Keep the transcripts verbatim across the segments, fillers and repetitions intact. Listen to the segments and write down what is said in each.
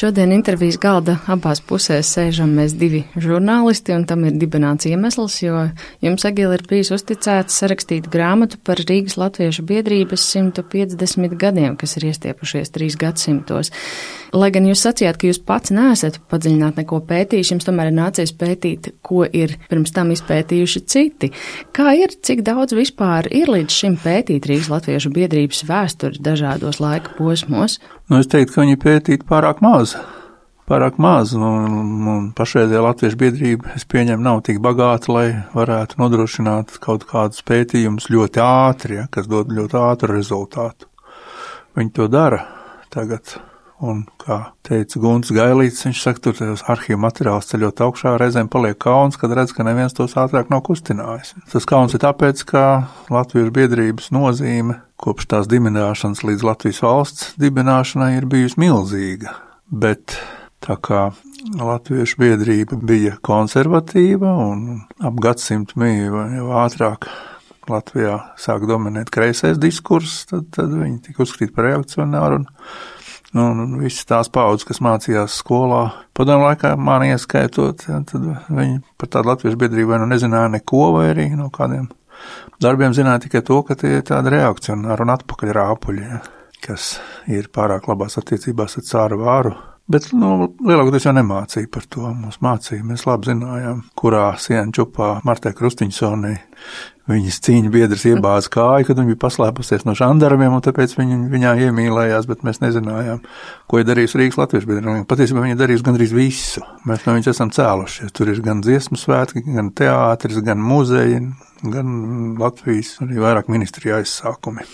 Šodien intervijas galda abās pusēs sēžam mēs divi žurnālisti, un tam ir dibināts iemesls, jo jums, Egīla, ir bijis uzticēts sarakstīt grāmatu par Rīgas latviešu biedrības simt piecdesmit gadiem, kas ir iestiepušies trīs gadsimtos. Lai gan jūs sacījāt, ka jūs pats neesat padziļināt neko pētījuši, jums tomēr ir nācies pētīt, ko ir pirms tam izpētījuši citi. Kā ir, cik daudz vispār ir līdz šim pētīt Rīgas latviešu biedrības vēsturi dažādos laika posmos? Nu, es teiktu, ka viņi pētītu pārāk maz. Pārāk maz, un, un pašreizējā latviešu biedrība, es pieņemu, nav tik bagāta, lai varētu nodrošināt kaut kādus pētījumus ļoti ātri, ja, kas dod ļoti ātru rezultātu. Viņi to dara tagad. Un, kā teica Gunts Gailīts, viņš saka, tur tajos arhīvu materiālus ceļot augšā, reizēm paliek kauns, kad redz, ka neviens tos ātrāk nav kustinājis. Tas kauns ir tāpēc, ka latviešu biedrības nozīme kopš tās dibināšanas līdz Latvijas valsts dibināšanai ir bijusi milzīga. Bet tā kā latviešu biedrība bija konservatīva un ap gadsimtu bija jau ātrāk Latvijā sāk dominēt kreisais diskurss, tad, tad viņi tika uzskatīti par reakcionāru un Nu, un visas tās paudzes, kas mācījās skolā, padomu laikā mani ieskaitot, ja, tad viņi par tādu latviešu biedrību vai nu nezināja neko, vai arī no kādiem darbiem zināja tikai to, ka tie ir tādi reakcionāri un atpakaļ rāpuļi, ja, kas ir pārāk labās attiecībās ar cāru vāru. Bet, nu, lielākoties jau nemācīja par to. Mums mācīja, mēs labi zinājām, kurā sienu čupā Martai Krustiņsonei viņas cīņu biedrs iebāza kāju, kad viņa bija paslēpusies no žandarmiem, un tāpēc viņa, viņā iemīlējās, bet mēs nezinājām, ko ir darījusi Rīgas latviešu biedrība. Patiesībā viņa darījusi gandrīz visu. Mēs no viņas esam cēlušies. Tur ir gan dziesmu svētki, gan teātris, gan muzeji, gan Latvijas, arī vairāk ministriju aizsākumi.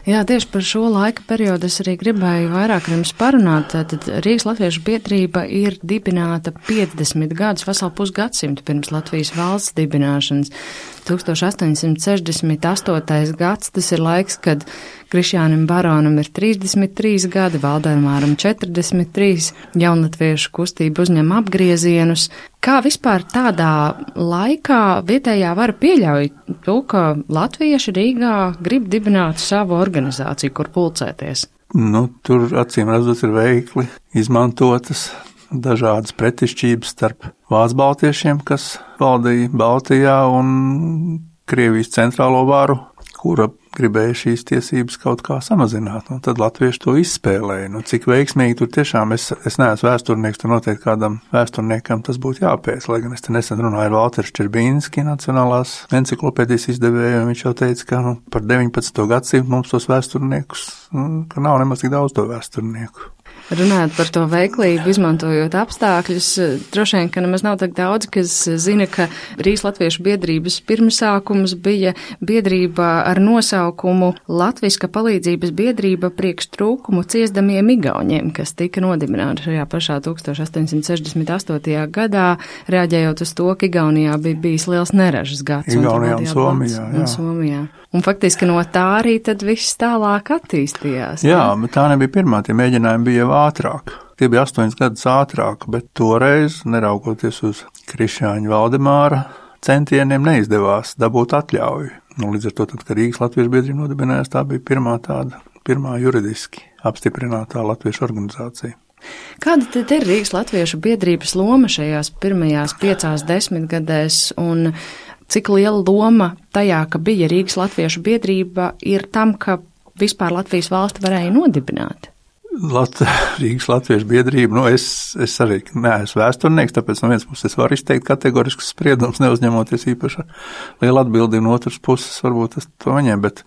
Jā, tieši par šo laika periodu es arī gribēju vairāk ar jums parunāt. Tad Rīgas latviešu biedrība ir dibināta piecdesmit gadus, veselu pusgadsimtu pirms Latvijas valsts dibināšanas. tūkstoš astoņsimt sešdesmit astotais gads, tas ir laiks, kad Krišjānim Baronam ir trīsdesmit trīs gadi, Valdemāram četrdesmit trīs, jaunatviešu kustība uzņem apgriezienus. Kā vispār tādā laikā vietējā vara pieļauj to, ka latvieši Rīgā grib dibināt savu organizāciju, kur pulcēties? Nu, tur acīm redzot ir veikli izmantotas dažādas pretišķības starp vācu baltiešiem, kas valdīja Baltijā, un Krievijas centrālo varu, kura gribēja šīs tiesības kaut kā samazināt, un tad latvieši to izspēlēja. Nu, cik veiksmīgi tur tiešām, es, es neesmu vēsturnieks, tur noteikti kādam vēsturniekam tas būtu jāpēc, lai gan es te nesen runāju ar Valteru Ščerbīnski, Nacionālās enciklopēdijas izdevēju, un viņš jau teica, ka nu, par deviņpadsmito gadsimtu mums tos vēsturniekus, nu, ka nav nemaz tik daudz to vēsturnieku. Runājot par to veiklību, izmantojot apstākļus, droši vien, ka nemaz nav tak daudz, kas zina, ka Rīgas latviešu biedrības pirmsākums bija biedrība ar nosaukumu Latviska palīdzības biedrība priekš trūkumu ciesdamiem igauņiem, kas tika nodibināta šajā pašā tūkstoš astoņsimt sešdesmit astotajā gadā, reaģējot uz to, ka Igaunijā bija bijis liels neražas gads. Igaunijā un, un Somijā, jā. Un Somijā. Un faktiski no tā arī tad viss tālāk attīstījās. Jā, ne? Bet tā nebija pirmā, tie mēģinājumi bija jau ātrāk. Tie bija astoņas gadus ātrāk, bet toreiz, neraugoties uz Krišjāņa Valdemāra centieniem, neizdevās dabūt atļauju. Nu, līdz ar to, tad, kad Rīgas latviešu biedrība nodibinājās, tā bija pirmā tāda, pirmā juridiski apstiprinātā latviešu organizācija. Kāda tad ir Rīgas latviešu biedrības loma šajās pirmajās piecās desmitgadēs, un cik liela loma tajā, ka bija Rīgas latviešu biedrība, ir tam, ka vispār Latvijas valsti varēja nodibināt? Lat, Rīgas latviešu biedrība, nu es, es arī neesmu vēsturnieks, tāpēc no vienas puses es varu izteikt kategoriskus spriedumus, neuzņemoties īpaši liela atbildība, no otras puses varbūt es to viņiem, bet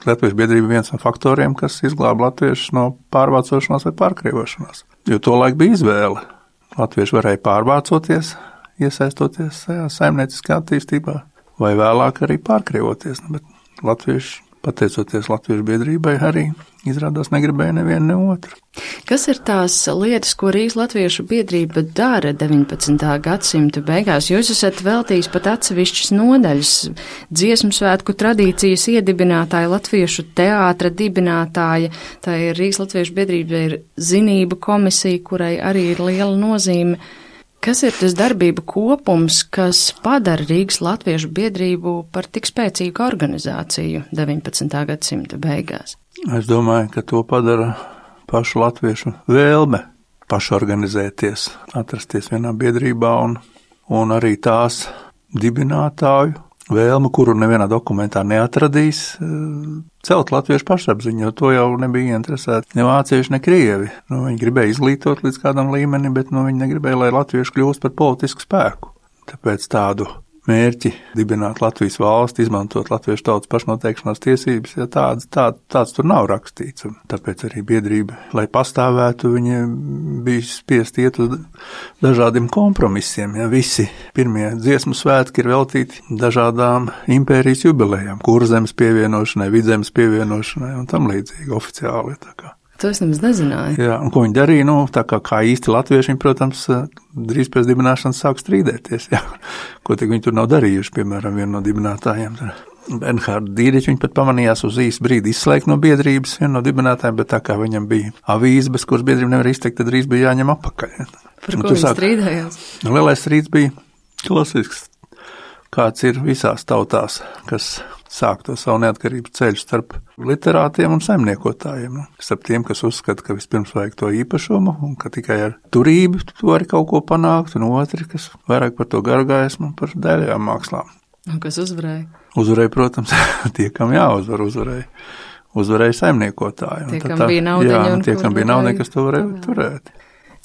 latviešu biedrība viens no faktoriem, kas izglāba latviešus no pārvācošanās vai pārkrievošanās. Jo to laik bija izvēle. Latvieši varēja pārvācoties, iesaistoties saimnieciskā attīstībā, vai vēlāk arī pārkrievoties, bet latvieši, pateicoties latviešu biedrībai, arī izrādās negribēja nevienu ne otru. Kas ir tās lietas, ko Rīgas latviešu biedrība dara deviņpadsmitā gadsimta beigās? Jūs esat veltījis pat atsevišķas nodaļas, dziesmu svētku tradīcijas iedibinātāja, latviešu teātra dibinātāja, tā ir Rīgas latviešu biedrība, ir zinību komisija, kurai arī ir liela nozīme. Kas ir tas darbību kopums, kas padara Rīgas latviešu biedrību par tik spēcīgu organizāciju deviņpadsmitā gadsimta beigās? Es domāju, ka to padara pašu latviešu vēlme pašorganizēties, atrasties vienā biedrībā un, un arī tās dibinātāju vēlmu, kuru nevienā dokumentā neatradīs, celt latviešu pašapziņu, jo to jau nebija interesēti ne vācieši, ne krievi. Nu, viņi gribēja izglītot līdz kādam līmenim, bet nu, viņi negribēja, lai latvieši kļūst par politisku spēku. Tāpēc tādu mērķi dibināt Latvijas valsti, izmantot latviešu tautas pašnoteikšanās tiesības, ja tāds, tā, tāds tur nav rakstīts. Un tāpēc arī biedrība, lai pastāvētu, viņa bija spiest iet uz dažādiem kompromisiem. Ja visi pirmie dziesmu svētki ir veltīti dažādām impērijas jubilejām, Kurzemes pievienošanai, Vidzemes pievienošanai un tam līdzīgi oficiāli. Tā kā. To es nemaz nezināju. Jā, un ko viņi darīja, nu, tā kā, kā īsti latvieši, viņi, protams, drīz pēc dibināšanas sāk strīdēties, jā. Ko tik viņi tur nav darījuši, piemēram, vienu no dibinātājiem. Bernhārdu Dīriķu viņi pat pamanījās uz īsu brīdi izslēgt no biedrības, vienu no dibinātājiem, bet tā kā viņam bija avīze, bez kuras biedrība nevar izteikt, tad drīz bija jāņem apakaļ. Par ko viņi sāk... strīdējās? Lielais strīds bija klasisks, kāds ir visās tautās, kas sāk to savu neatkarības ceļu starp literātiem un saimniekotājiem. Starp tiem, kas uzskata, ka vispirms vajag to īpašumu un ka tikai ar turību tu vari kaut ko panākt, un otri, kas vairāk par to gargaismu, par daļajām mākslām. Un kas uzvarēja? Uzvarēja, protams, tie, kam jāuzvar, uzvarēja. Uzvarēja saimniekotāji. Tie, kam bija naudiņi. Jā, un tie, kam bija naudiņi, kas to varēja turēt.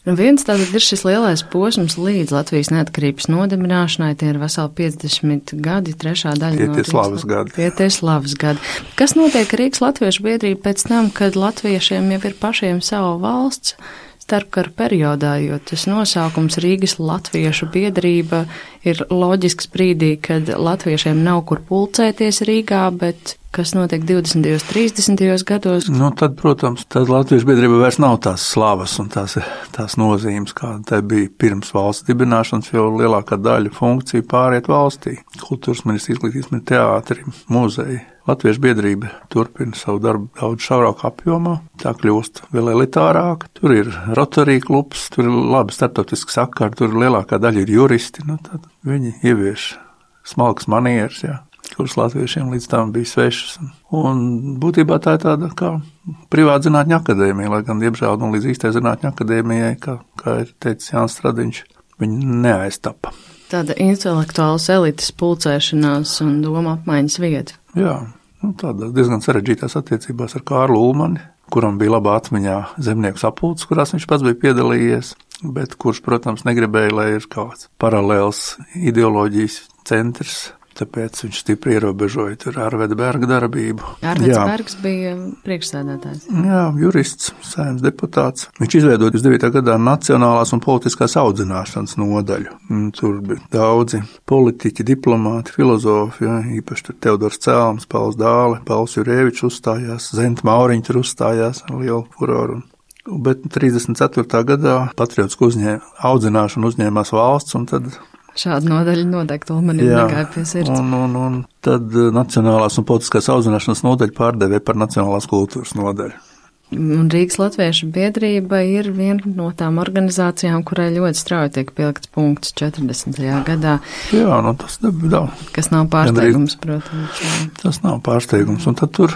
Nu, viens tātad ir šis lielais posms līdz Latvijas neatkarības nodibināšanai, tie ir veseli piecdesmit gadi, trešā daļa tie no tie slavas gadi. Tie tie slavas gadi. Kas notiek Rīgas latviešu biedrība pēc tam, kad latviešiem jau ir pašiem savu valsts starpkara periodā, jo tas nosaukums Rīgas latviešu biedrība ir loģisks brīdī, kad latviešiem nav kur pulcēties Rīgā, bet kas notiek divdesmitajos, trīsdesmitajos gados? Nu, tad, protams, tad latviešu biedrība vairs nav tās slavas un tās, tās nozīmes, kāda te bija pirms valsts dibināšanas, jo lielākā daļa funkciju pāriet valstī. Kultūras ministrs, izglītības ministrs, teātri, muzeji. Latviešu biedrība turpina savu darbu daudz šaurāk apjomā, tā kļūst vēl elitārāk. Tur ir Rotary klubs, tur ir labi starptautiski sakari, tur lielākā daļa ir juristi. Nu, tad viņi ievieš smalkas manieres, jā, kuras latviešiem līdz tam bija svešas. Un būtībā tā ir tāda kā privāta zinātņu akadēmija, lai gan, diemžēl, nu, līdz īstai zinātņu akadēmijai, kā, kā ir teicis Jānis Stradiņš, viņi neaiztapa. Tāda intelektuālas elites pulcēšanās un doma apmaiņas vieta. Jā, nu, tāda diezgan sarežģītās attiecībās ar Kārlu Ulmani, kuram bija labā atmiņā zemnieku sapulces, kurās viņš pats bija piedalījies, bet kurš, protams, negribēja, lai ir kāds paralēls ideoloģijas centrs. Tāpēc viņš stipri ierobežoja tur Arveda Berga darbību. Arveds Bergs bija priekšsēdētājs. Jā, jurists, saimnes deputāts. Viņš izveidoja divtūkstoš devītā gadā Nacionālās un politiskās audzināšanas nodaļu. Tur bija daudzi politiķi, diplomāti, filozofi, jā, īpaši tur Teodors Cēlms, Pauls Dāle, Pauls Jurēvičs uzstājās, Zenta Mauriņa tur uzstājās ar lielu furoru. Bet trīsdesmit ceturtā gadā patriotisku uzņēma, audzināšanu uzņēmās valsts, un tad šāda nodaļa noteikti Ulmanim negāja pie sirds. Un, un, un tad Nacionālās un politiskās audzināšanas nodaļa pārdevē par Nacionālās kultūras nodaļu. Un Rīgas latviešu biedrība ir viena no tām organizācijām, kurai ļoti strauji tiek pielikts punkts četrdesmitajā gadā. Jā, nu tas nav. Kas nav pārsteigums, protams. Jā. Tas nav pārsteigums, un tad tur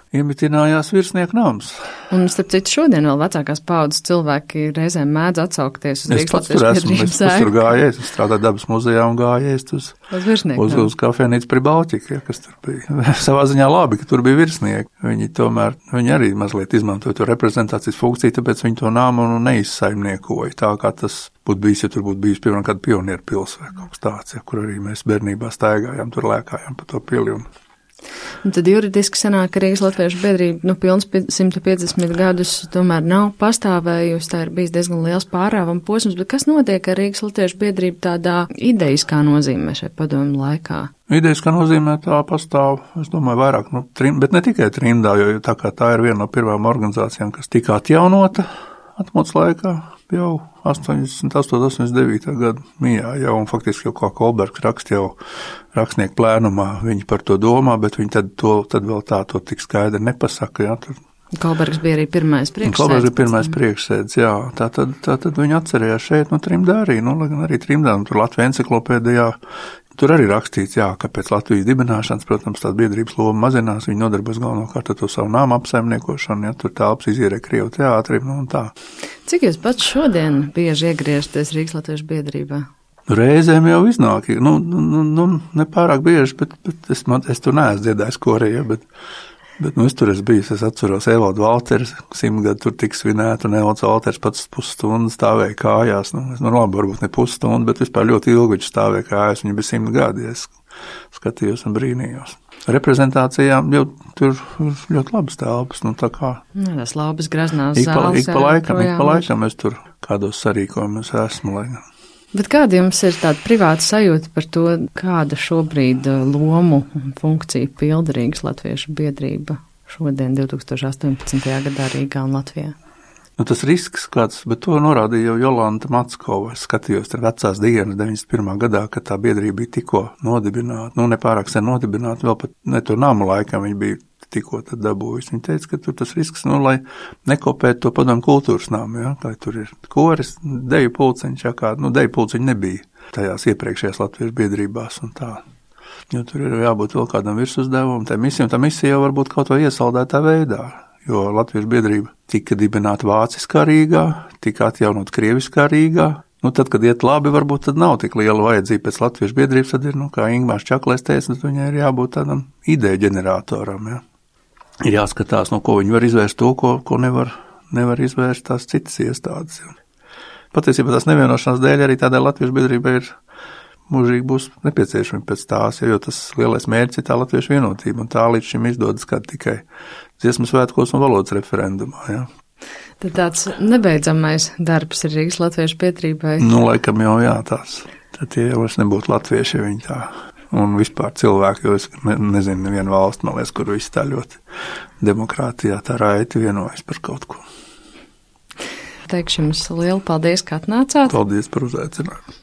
iemitinājās virsnieku nams. Un, starp citu, šodien vēl vecākās paudzes cilvēki reizēm mēdz atsaukties uz Rīgas latviešu biedrības sēku. Es pats tur gājies, es strādāju dabas muzejā un gājies uz, uz virsnieku uz, uz kafejnīcu Pribaltika, ja, kas tur bija. Savā ziņā labi, ka tur bija virsnieki. Viņi tomēr, viņi arī mazliet izmantoja to reprezentācijas funkciju, tāpēc viņi to nāmu neizsaimniekoja. Tā kā tas būtu bijis, ja tur būtu bijis, piemēram, kāda pionieru pils vai kaut kas tāds, ja, kur arī mēs bērnībā staigājām, tur lēkājām pa to pili un Un tad juridiski sanāk, ka Rīgas latviešu biedrība, nu, pilns simt piecdesmit gadus tomēr nav pastāvējusi, tā ir bijis diezgan liels pārāvuma posms, bet kas notiek ar Rīgas latviešu biedrību tādā ideiskā nozīmē šai padomu laikā? Ideiskā nozīmē tā pastāv, es domāju, vairāk, nu, trim, bet ne tikai trimdā, jo tā kā tā ir viena no pirmām organizācijām, kas tika atjaunota atmodas laikā, jau astoņdesmit astoņi, astoņdesmit deviņi gadu mijā jau, un faktiski jau kā Kolbergs raksta jau rakstnieku plēnumā, viņi par to domā, bet viņi tad, to, tad vēl tā to tik skaidri nepasaka, jā, tur. Kolbergs bija arī pirmais priekšsēdis. Kolbergs bija pirmais priekšsēdis, jā, tā tad, tā tad viņi atcerējās šeit, nu, trimdā arī, nu, lai gan arī trimdā, nu, tur Latvijas enciklopēdijā tur arī rakstīts, jā, ka pēc Latvijas dibināšanas, protams, tās biedrības loma mazinās, viņi nodarbojas galvenokārt ar to savu nāmu apsaimniekošanu, ja tur telpas izierē Krievu teātrim, nu un tā. Cik jūs pats šodien bieži iegriežaties Rīgas Latviešu biedrībā? Reizēm jau iznāk, nu, nu, nu nepārāk bieži, bet, bet es, man, es tur neesmu dziedājis korejā, bet, bet, nu, es tur esmu bijis, es atceros Evaldu Valters, simt gadu tur tik svinēt, un Evalds Valters pats pusstundu stāvēja kājās, nu, es, nu, labi, varbūt ne pusstundu, bet vispār ļoti ilgi viņš stāvēja kājās, viņa bija simt gadi, es skatījos un brīnījos. Reprezentācijām jau tur ir ļoti labas telpas, nu, tā kā. Nē, tas labas graznās ik pa, zāles. Ik pa laikam, ik pa laikam es tur kādos sarīkojumus esmu, lai. Bet kāda jums ir tāda privāta sajūta par to, kāda šobrīd lomu un funkciju pilda Rīgas Latviešu biedrība šodien, divtūkstoš astoņpadsmitajā gadā Rīgā un Latvijā? Nu, tas risks kāds, bet to norādīja jau Jolanta Mackova. Es skatījos tur vecās dienas deviņdesmit pirmā gadā, kad tā biedrība bija tikko nodibināta, nu nepārāk sen nodibināta, vēl pat ne to namu laikam viņa bija tikko tad dabūjusi. Viņa teica, ka tur tas risks, nu, lai nekopētu to padomu kultūras nāmu, ja, lai tur ir koris, deju pulciņš, ja kā, nu, deju pulciņi nebija tajās iepriekšējās Latviešu biedrībās un tā. Jo tur ir jābūt vēl kādam virsuzdevumam, tā misija, un tā misija jau varbūt kaut vai iesaldētā veidā, jo Latviešu biedrība tika dibināta vāciskā Rīgā, tika atjaunot krieviskā Rīgā. Nu, tad, kad iet labi, varbūt tad nav tik liela vajadzība pēc Latviešu biedrības, tad ir, nu, kā Ingmārs Čaklais teica, tad viņai ir jābūt tādam ideju ģeneratoram, ja. Ir jāskatās, no ko viņi var izvērst to, ko, ko nevar, nevar izvērst tās citas iestādes. Patiesībā tās nevienošanās dēļ arī tādai Latviešu biedrībai ir mūžīgi būs nepieciešami pēc tās, jo tas lielais mērķis ir tā Latviešu vienotība, un tā līdz šim izdodas kā tikai dziesmu svētkos un valodas referendumā, ja. Tad tāds nebeidzamais darbs ir Rīgas Latviešu biedrībai. Nu, laikam jau jā, tās. Tad tie jau vairs nebūtu latvieši, ja viņi tā. Un vispār cilvēki, jo es ne, nezinu nevienu valstu, man liekas, kur viss tā ļoti demokrātijā tā raiti vienojas par kaut ko. Teikšu jums lielu paldies, ka atnācāt. Paldies par uzaicinājumu.